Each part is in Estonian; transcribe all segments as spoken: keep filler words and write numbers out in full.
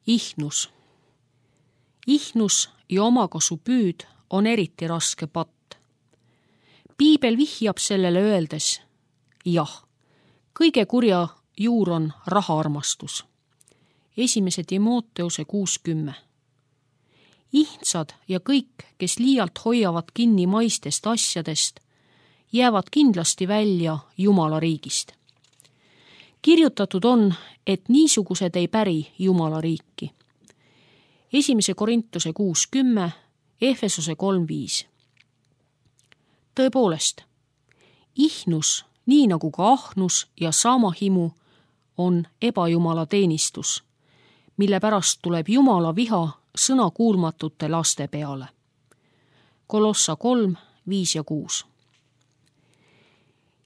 Ihnus. Ihnus ja omakasu püüd on eriti raske patt. Piibel vihjab sellele öeldes, jah, kõige kurja juur on rahaarmastus. Esimese Timoteuse kuuskümmend. Ihntsad ja kõik, kes liialt hoiavad kinni maistest asjadest, jäävad kindlasti välja Jumala riigist. Kirjutatud on, et niisugused ei päri Jumala riiki. Esimese Korintuse kuuskümmend, Efesose kolm viis. Tõepoolest, ihnus, nii nagu ka ahnus ja saamahimu, on ebajumala teenistus, mille pärast tuleb Jumala viha sõnakuulmatute laste peale. Kolossa kolm viis ja kuus.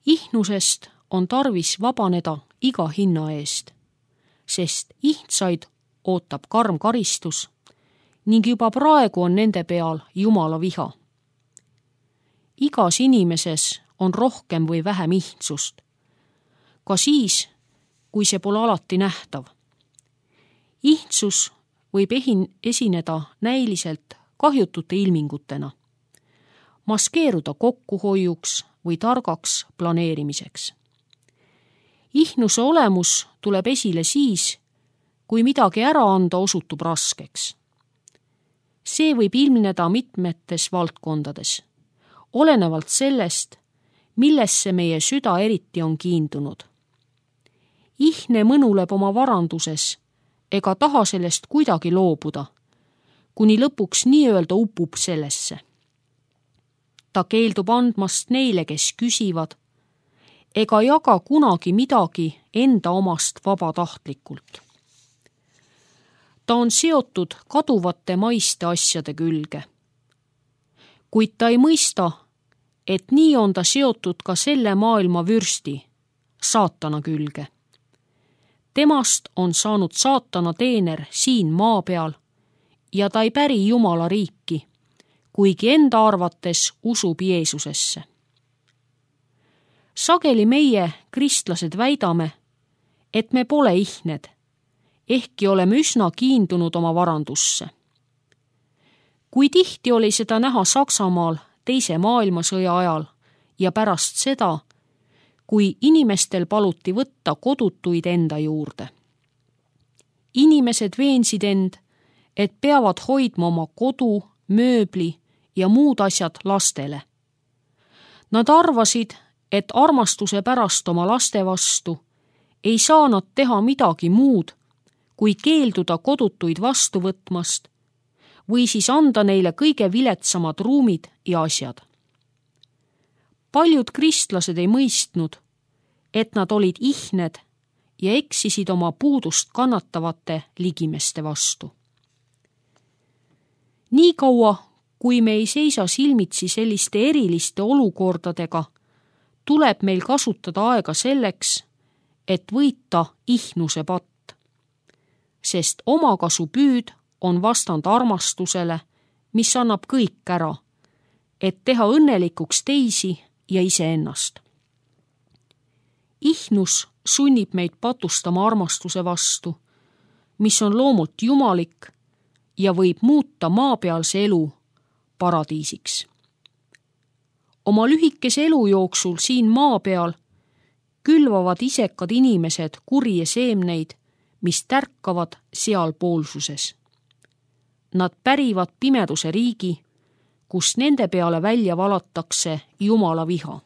Ihnusest on tarvis vabaneda iga hinna eest, sest ihtsaid ootab karm karistus ning juba praegu on nende peal Jumala viha. Igas inimeses on rohkem või vähem ihtsust, ka siis, kui see pole alati nähtav. Ihtsus võib ehin- esineda näiliselt kahjutute ilmingutena, maskeeruda kokkuhoiuks või targaks planeerimiseks. Ihnuse olemus tuleb esile siis, kui midagi ära anda osutub raskeks. See võib ilmneda mitmetes valdkondades, olenevalt sellest, millesse meie süda eriti on kiindunud. Ihne mõnuleb oma varanduses ega taha sellest kuidagi loobuda, kuni lõpuks nii-öelda upub sellesse. Ta keeldub andmast neile, kes küsivad, ega jaga kunagi midagi enda omast vabatahtlikult. Ta on seotud kaduvate maiste asjade külge. Kuid ta ei mõista, et nii on ta seotud ka selle maailma vürsti, saatana külge. Temast on saanud saatana teener siin maa peal ja ta ei päri Jumala riiki, kuigi enda arvates usub Jeesusesse. Sageli meie, kristlased, väidame, et me pole ihned, ehkki oleme üsna kiindunud oma varandusse. Kui tihti oli seda näha Saksamaal teise maailmasõja ajal ja pärast seda, kui inimestel paluti võtta kodutuid enda juurde. Inimesed veensid end, et peavad hoidma oma kodu, mööbli ja muud asjad lastele. Nad arvasid, et armastuse pärast oma laste vastu ei saa nad teha midagi muud, kui keelduda kodutuid vastu võtmast või siis anda neile kõige viletsamad ruumid ja asjad. Paljud kristlased ei mõistnud, et nad olid ihned ja eksisid oma puudust kannatavate ligimeste vastu. Nii kaua, kui me ei seisa silmitsi selliste eriliste olukordadega, tuleb meil kasutada aega selleks, et võita ihnuse patt, sest omakasu püüd on vastand armastusele, mis annab kõik ära, et teha õnnelikuks teisi ja iseennast. Ihnus sunnib meid patustama armastuse vastu, mis on loomult jumalik ja võib muuta maapealse elu paradiisiks. Oma lühikese elu jooksul siin maa peal külvavad isekad inimesed kurje seemneid, mis tärkavad sealpoolsuses. Nad pärivad pimeduse riigi, kus nende peale välja valatakse Jumala viha.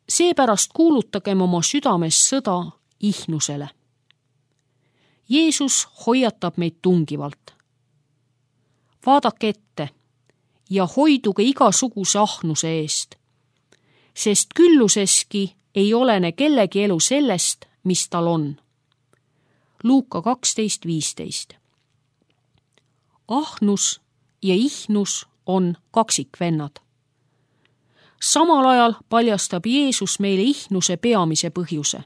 Seepärast kuulutagem oma südames sõda ihnusele. Jeesus hoiatab meid tungivalt. Vaadake ette ja hoiduge igasuguse ahnuse eest, sest külluseski ei olene kellegi elu sellest, mis tal on. Luuka kaksteist viisteist. Ahnus ja ihnus on kaksikvennad. Samal ajal paljastab Jeesus meile ihnuse peamise põhjuse.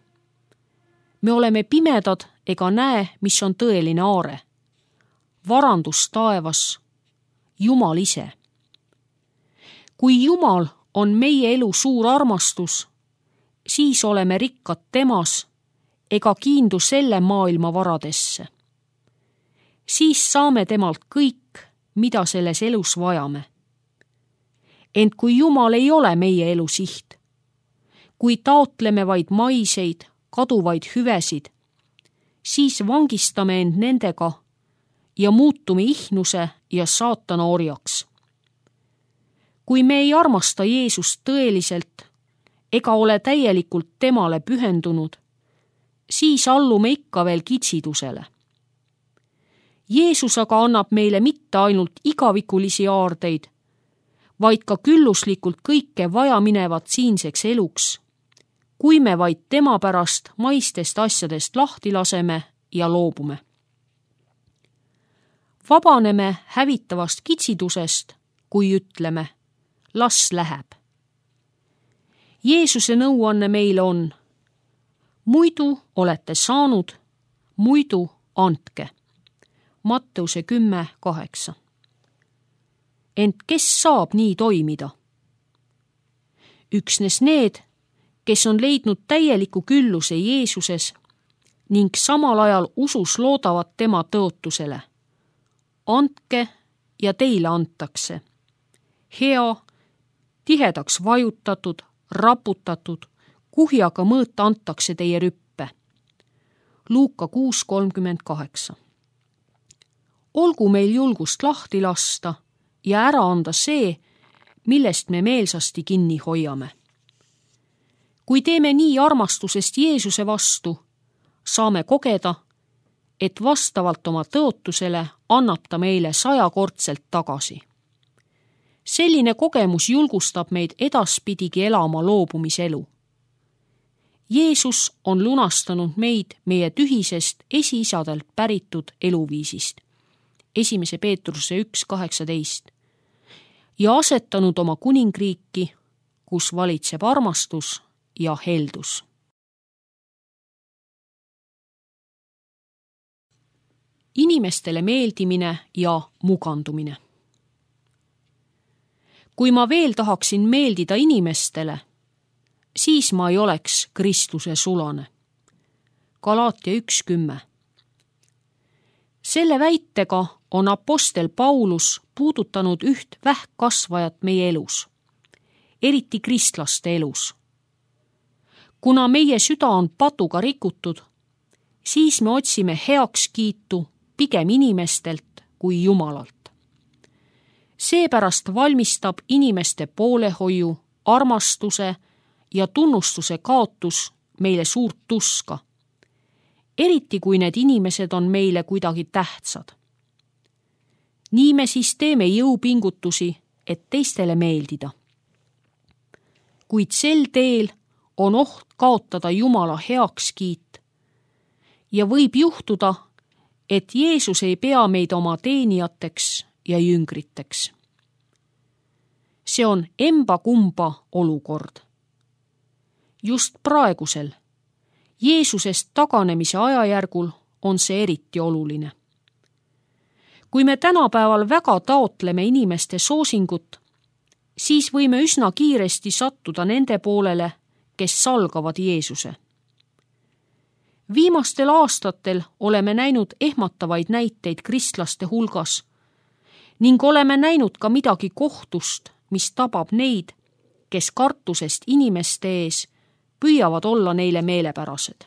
Me oleme pimedad ega näe, mis on tõeline aare. Varandus taevas, Jumal ise. Kui Jumal on meie elu suur armastus, siis oleme rikkad temas ega kiindu selle maailma varadesse. siis saame temalt kõik, mida selles elus vajame. Ent kui Jumal ei ole meie elu siht, kui taotleme vaid maiseid, kaduvaid hüvesid, siis vangistame end nendega ja muutume ihnuse ja saatana orjaks. Kui me ei armasta Jeesust tõeliselt ega ole täielikult temale pühendunud, siis allume ikka veel kitsidusele. Jeesus aga annab meile mitte ainult igavikulisi aardeid, vaid ka külluslikult kõike vajaminevat siinseks eluks, kui me vaid tema pärast maistest asjadest lahti laseme ja loobume. Vabaneme hävitavast kitsidusest, kui ütleme, las läheb. Jeesuse nõuanne meile on: muidu olete saanud, muidu andke. Matteuse kümme kaheksa. Ent kes saab nii toimida? Üksnes need, kes on leidnud täieliku külluse Jeesuses ning samal ajal usus loodavad tema tõotusele. Andke ja teile antakse. Hea, tihedaks vajutatud, raputatud, kuhjaga mõõta antakse teie rüppe. Luuka kuus kolmkümmend kaheksa. Olgu meil julgust lahti lasta ja ära anda see, millest me meelsasti kinni hoiame. Kui teeme nii armastusest Jeesuse vastu, saame kogeda, et vastavalt oma tõotusele annab ta meile sajakordselt tagasi. Selline kogemus julgustab meid edaspidigi elama loobumiselu. Jeesus on lunastanud meid meie tühisest esiisadelt päritud eluviisist. Esimese Peetruse üks kaheksateist ja asetanud oma kuningriiki, kus valitseb armastus ja heldus. Inimestele meeldimine ja mugandumine. Kui ma veel tahaksin meeldida inimestele, siis ma ei oleks Kristuse sulane. Galaatia üks kümme. Selle väitega on apostel Paulus puudutanud üht vähkkasvajat meie elus, eriti kristlaste elus. Kuna meie süda on patuga rikutud, siis me otsime heakskiitu pigem inimestelt kui Jumalalt. Seepärast valmistab inimeste poolehoiu, armastuse ja tunnustuse kaotus meile suurt tuska, eriti kui need inimesed on meile kuidagi tähtsad. Nii me siis teeme jõupingutusi, et teistele meeldida. Kuid sel teel on oht kaotada Jumala heakskiit ja võib juhtuda, et Jeesus ei pea meid oma teenijateks ja jüngriteks. See on emba-kumba olukord. Just praegusel, Jeesusest taganemise ajajärgul on see eriti oluline. Kui me tänapäeval väga taotleme inimeste soosingut, siis võime üsna kiiresti sattuda nende poolele, kes salgavad Jeesuse. Viimastel aastatel oleme näinud ehmatavaid näiteid kristlaste hulgas ning oleme näinud ka midagi kohtust, mis tabab neid, kes kartusest inimeste ees püüavad olla neile meelepärased.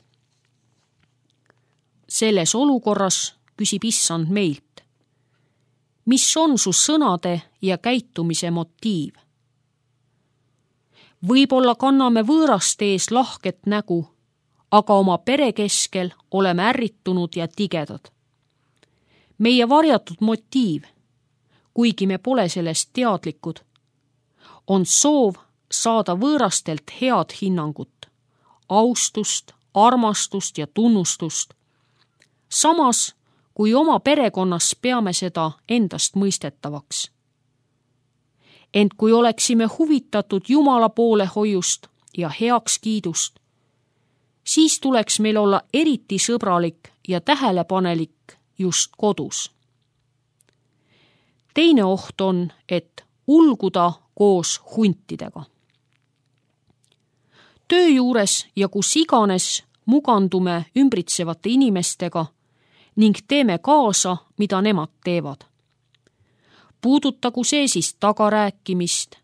Selles olukorras küsib Issand meilt: mis on su sõnade ja käitumise motiiv? Võib-olla kanname võõraste ees lahket nägu, aga oma pere keskel oleme ärritunud ja tigedad. Meie varjatud motiiv, kuigi me pole sellest teadlikud, on soov saada võõrastelt head hinnangut, austust, armastust ja tunnustust. Samas, kui oma perekonnas peame seda endast mõistetavaks. Ent kui oleksime huvitatud Jumala poolehoiust ja heakskiidust, siis tuleks meil olla eriti sõbralik ja tähelepanelik just kodus. Teine oht on, et ulguda koos huntidega. Töö juures ja kus iganes mugandume ümbritsevate inimestega ning teeme kaasa, mida nemad teevad. Puudutagu see siis tagarääkimist,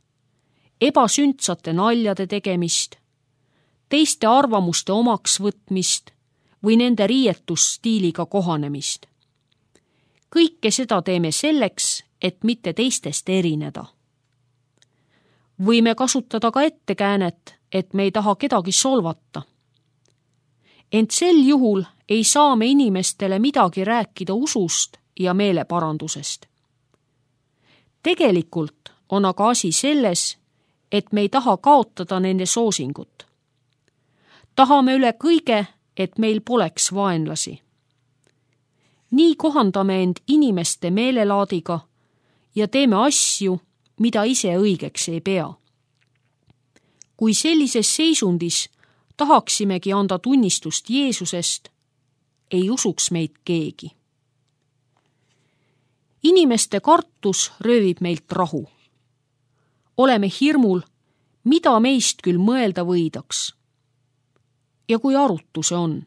ebasündsate naljade tegemist, teiste arvamuste omaks võtmist või nende riietusstiiliga kohanemist. Kõike seda teeme selleks, et mitte teistest erineda. Võime kasutada ka ettekäänet, et me ei taha kedagi solvata. Ent sel juhul ei saa me inimestele midagi rääkida usust ja meeleparandusest. Tegelikult on aga asi selles, et me ei taha kaotada nende soosingut. Tahame üle kõige, et meil poleks vaenlasi. Nii kohandame end inimeste meelelaadiga ja teeme asju, mida ise õigeks ei pea. Kui sellises seisundis tahaksimegi anda tunnistust Jeesusest, ei usuks meid keegi. Inimeste kartus röövib meilt rahu. Oleme hirmul, mida meist küll mõelda võidaks. Ja kui arutu see on?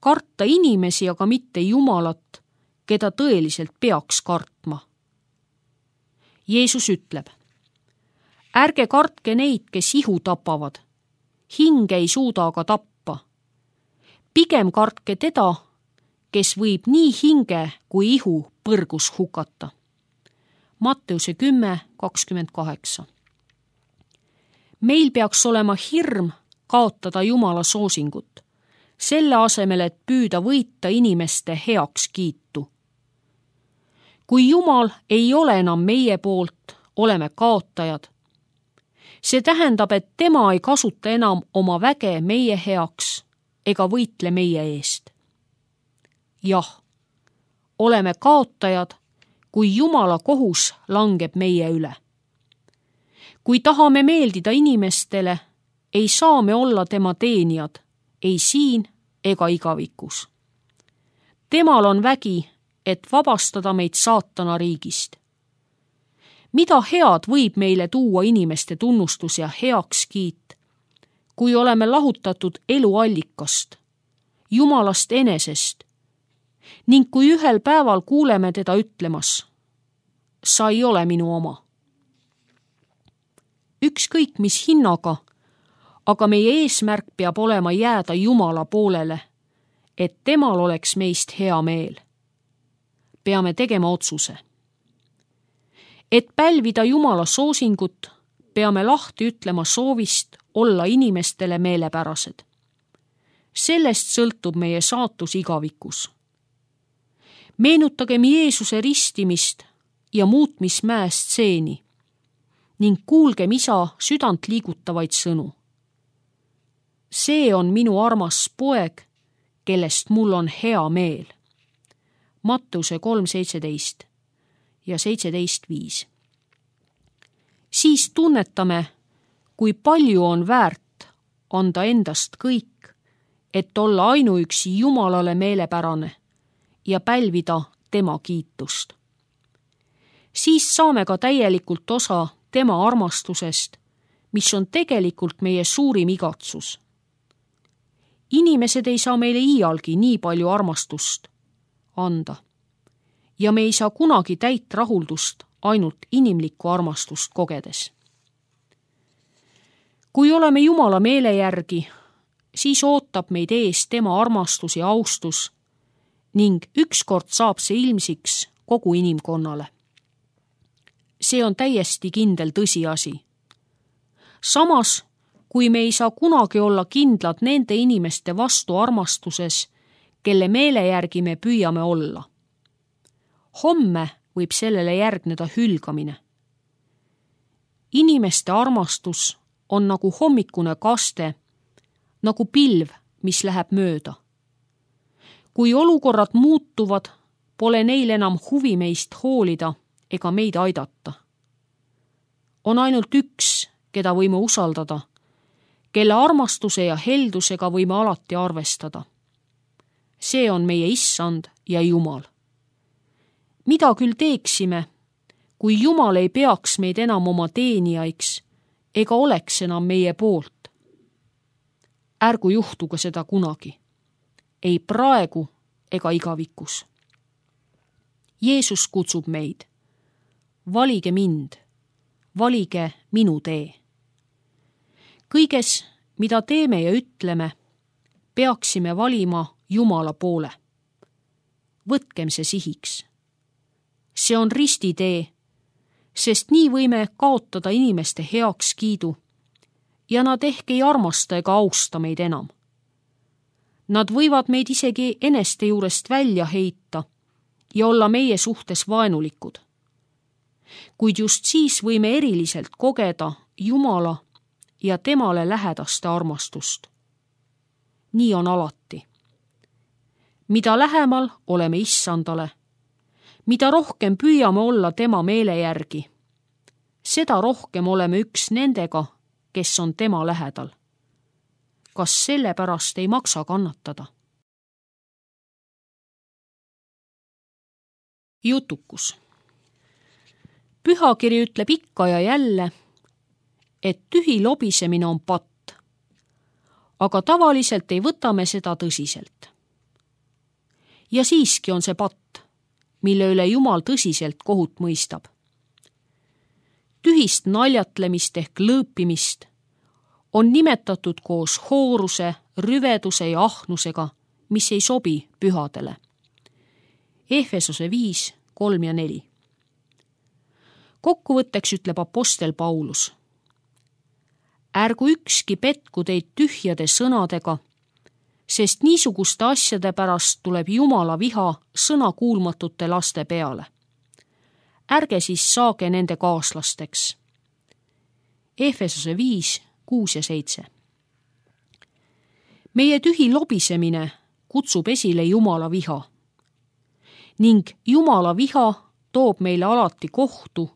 Karta inimesi, aga mitte Jumalat, keda tõeliselt peaks kartma. Jeesus ütleb, ärge kartke neid, kes ihu tapavad, hinge ei suuda aga tappa. Pigem kartke teda, kes võib nii hinge kui ihu põrgus hukata. Matteuse kümme kakskümmend kaheksa. Meil peaks olema hirm kaotada Jumala soosingut, selle asemel, et püüda võita inimeste heaks kiitu. Kui Jumal ei ole enam meie poolt, oleme kaotajad. See tähendab, et tema ei kasuta enam oma väge meie heaks ega võitle meie eest. Jah, oleme kaotajad, kui Jumala kohus langeb meie üle. Kui tahame meeldida inimestele, ei saa me olla tema teenijad, ei siin ega igavikus. Temal on vägi, et vabastada meid saatana riigist. Mida head võib meile tuua inimeste tunnustus ja heakskiit, kui oleme lahutatud eluallikast, Jumalast enesest, ning kui ühel päeval kuuleme teda ütlemas, sa ei ole minu oma. Ükskõik mis hinnaga, aga meie eesmärk peab olema jääda Jumala poolele, et temal oleks meist hea meel. Peame tegema otsuse. Et pälvida Jumala soosingut, peame lahti ütlema soovist olla inimestele meelepärased. Sellest sõltub meie saatus igavikus. Meenutagem Jeesuse ristimist ja muutmismäe stseeni ning kuulgem isa südant liigutavaid sõnu. See on minu armas poeg, kellest mul on hea meel. Matteuse kolm seitseteist ja seitseteist viis. Siis tunnetame, kui palju on väärt anda endast kõik, et olla ainuüksi Jumalale meelepärane ja pälvida tema kiitust. Siis saame ka täielikult osa tema armastusest, mis on tegelikult meie suurim igatsus. Inimesed ei saa meile iialgi nii palju armastust anda ja me ei saa kunagi täit rahuldust ainult inimlikku armastust kogedes. Kui oleme Jumala meele järgi, siis ootab meid ees tema armastus ja austus ning ükskord saab see ilmsiks kogu inimkonnale. See on täiesti kindel tõsiasi. Samas, kui me ei saa kunagi olla kindlad nende inimeste vastu armastuses, kelle meele järgi me püüame olla. Homme võib sellele järgneda hülgamine. Inimeste armastus on nagu hommikune kaste, nagu pilv, mis läheb mööda. Kui olukorrad muutuvad, pole neil enam huvi meist hoolida ega meid aidata. On ainult üks, keda võime usaldada, kelle armastuse ja heldusega võime alati arvestada. See on meie Issand ja Jumal. Mida küll teeksime, kui Jumal ei peaks meid enam oma teenijaiks ega oleks enam meie poolt? Ärgu juhtuga seda kunagi. Ei praegu ega igavikus. Jeesus kutsub meid. Valige mind, valige minu tee. Kõiges, mida teeme ja ütleme, peaksime valima Jumala poole. Võtkem see sihiks. See on ristitee, sest nii võime kaotada inimeste heakskiidu ja nad ehk ei armasta ega austa meid enam. Nad võivad meid isegi eneste juurest välja heita ja olla meie suhtes vaenulikud. Kuid just siis võime eriliselt kogeda Jumala ja temale lähedaste armastust. Nii on alati. Mida lähemal oleme issandale, mida rohkem püüame olla tema meele järgi, seda rohkem oleme üks nendega, kes on tema lähedal. Kas selle pärast ei maksa kannatada? Jutukus. Pühakiri ütleb ikka ja jälle, et tühi lobisemine on patt, aga tavaliselt ei võta me seda tõsiselt. Ja siiski on see patt, mille üle Jumal tõsiselt kohut mõistab. Tühist naljatlemist ehk lõõpimist on nimetatud koos hooruse, rüveduse ja ahnusega, mis ei sobi pühadele. Efesose viis, kolm ja neli. Kokkuvõtteks ütleb apostel Paulus. Ärgu ükski petku teid tühjade sõnadega, sest niisuguste asjade pärast tuleb Jumala viha sõnakuulmatute laste peale. Ärge siis saage nende kaaslasteks. Efesose viis, kuus ja seitse. Meie tühi lobisemine kutsub esile Jumala viha ning Jumala viha toob meile alati kohtu,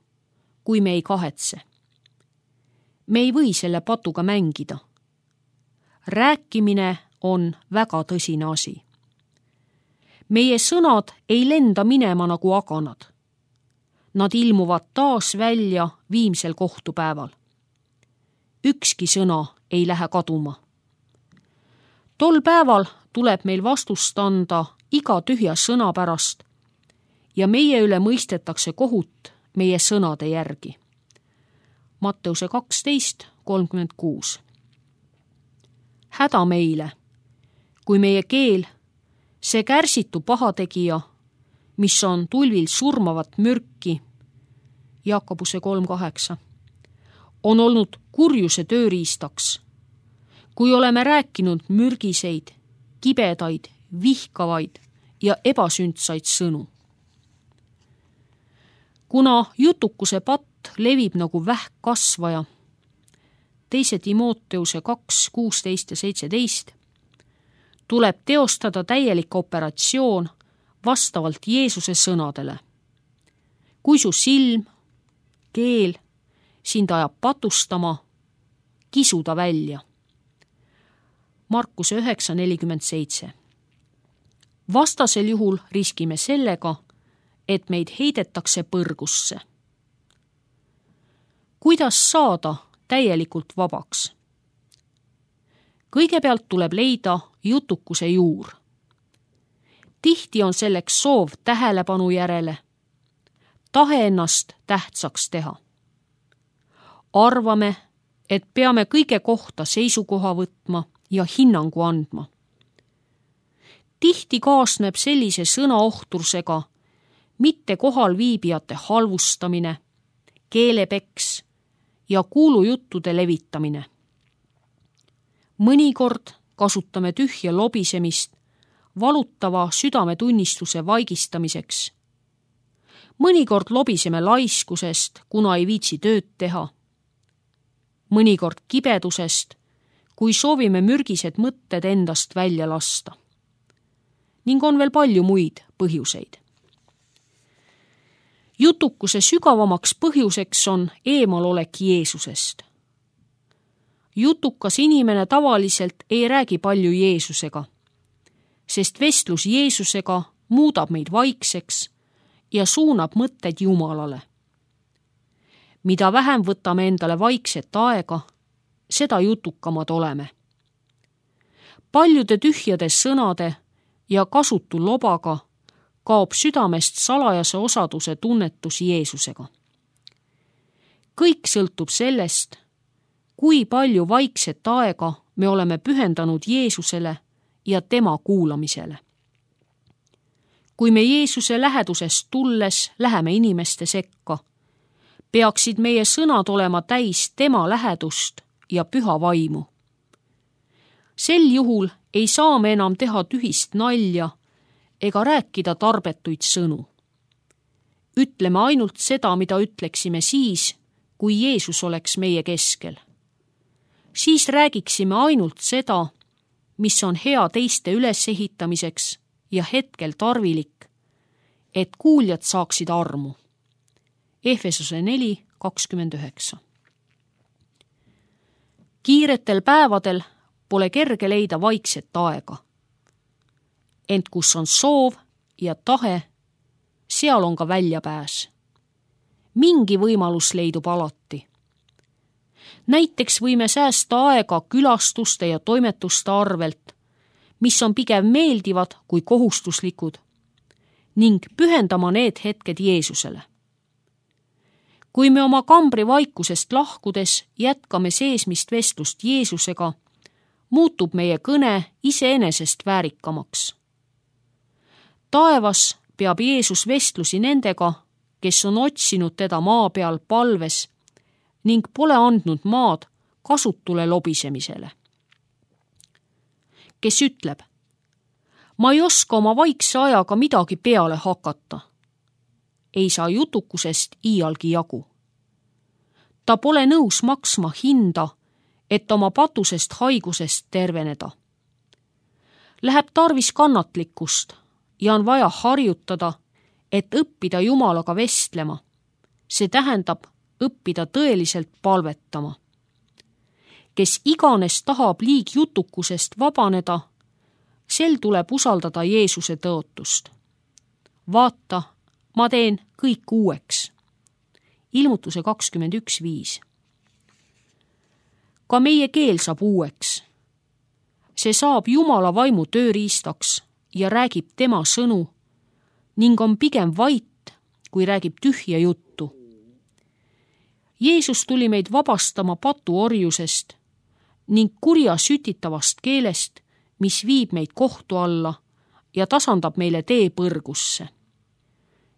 kui me ei kahetse. Me ei või selle patuga mängida. Rääkimine on väga tõsine asi. Meie sõnad ei lenda minema nagu aganad. Nad ilmuvad taas välja viimsel kohtupäeval. Ükski sõna ei lähe kaduma. Tol päeval tuleb meil vastust anda iga tühja sõna pärast ja meie üle mõistetakse kohut meie sõnade järgi. Matteuse kaksteist, kolmkümmend kuus. Häda meile, kui meie keel, see kärsitu pahategija, mis on tulvil surmavat mürki, Jaakobuse kolm kaheksa, on olnud kurjuse tööriistaks, kui oleme rääkinud mürgiseid, kibedaid, vihkavaid ja ebasündsaid sõnu. Kuna jutukuse patt levib nagu vähkkasvaja, teise Timoteuse kaks, kuusteist ja seitseteist, tuleb teostada täielik operatsioon vastavalt Jeesuse sõnadele. Kui su silm, keel sind ajab patustama, kisu ta välja. Markuse üheksa, nelikümmend seitse. Vastasel juhul riskime sellega, et meid heidetakse põrgusse. Kuidas saada täielikult vabaks? Kõigepealt tuleb leida jutukuse juur. Tihti on selleks soov tähelepanu järele, tahe ennast tähtsaks teha. Arvame, et peame kõige kohta seisukoha võtma ja hinnangu andma. Tihti kaasneb sellise sõnaohtrusega mitte kohal viibijate halvustamine, keelepeks ja kuulujuttude levitamine. Mõnikord kasutame tühja lobisemist valutava südametunnistuse vaigistamiseks. Mõnikord lobiseme laiskusest, kuna ei viitsi tööd teha. Mõnikord kibedusest, kui soovime mürgised mõtted endast välja lasta. Ning on veel palju muid põhjuseid. Jutukuse sügavamaks põhjuseks on eemalolek Jeesusest. Jutukas inimene tavaliselt ei räägi palju Jeesusega, sest vestlus Jeesusega muudab meid vaikseks ja suunab mõtted Jumalale. Mida vähem võtame endale vaikset aega, seda jutukamad oleme. Paljude tühjade sõnade ja kasutu lobaga kaob südamest salajase osaduse tunnetus Jeesusega. Kõik sõltub sellest, kui palju vaikset aega me oleme pühendanud Jeesusele ja tema kuulamisele. Kui me Jeesuse lähedusest tulles läheme inimeste sekka, peaksid meie sõnad olema täis tema lähedust ja püha vaimu. Sel juhul ei saa me enam teha tühist nalja ega rääkida tarbetuid sõnu. Ütleme ainult seda, mida ütleksime siis, kui Jeesus oleks meie keskel. Siis räägiksime ainult seda, mis on hea teiste ülesehitamiseks ja hetkel tarvilik, et kuuljad saaksid armu. Efesose neli kakskümmend üheksa. Kiiretel päevadel pole kerge leida vaikset aega. Ent kus on soov ja tahe, seal on ka väljapääs. Mingi võimalus leidub alati. Näiteks võime säästa aega külastuste ja toimetuste arvelt, mis on pigem meeldivad kui kohustuslikud, ning pühendama need hetked Jeesusele. Kui me oma kambri vaikusest lahkudes jätkame seesmist vestlust Jeesusega, muutub meie kõne iseenesest väärikamaks. Taevas peab Jeesus vestlusi nendega, kes on otsinud teda maa peal palves ning pole andnud maad kasutule lobisemisele. Kes ütleb, ma ei oska oma vaikse ajaga midagi peale hakata, ei saa jutukusest iialgi jagu. Ta pole nõus maksma hinda, et oma patusest haigusest terveneda. Läheb tarvis kannatlikkust ja on vaja harjutada, et õppida Jumalaga vestlema. See tähendab õppida tõeliselt palvetama. Kes iganes tahab liigjutukusest vabaneda, sel tuleb usaldada Jeesuse tõotust. Vaata, ma teen kõik uueks. Ilmutuse kakskümmend üks viis. Ka meie keel saab uueks. See saab Jumala vaimu tööriistaks ja räägib tema sõnu ning on pigem vait, kui räägib tühja juttu. Jeesus tuli meid vabastama patuorjusest ning kurja sütitavast keelest, mis viib meid kohtu alla ja tasandab meile tee põrgusse.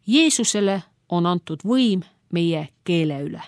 Jeesusele on antud võim meie keele üle.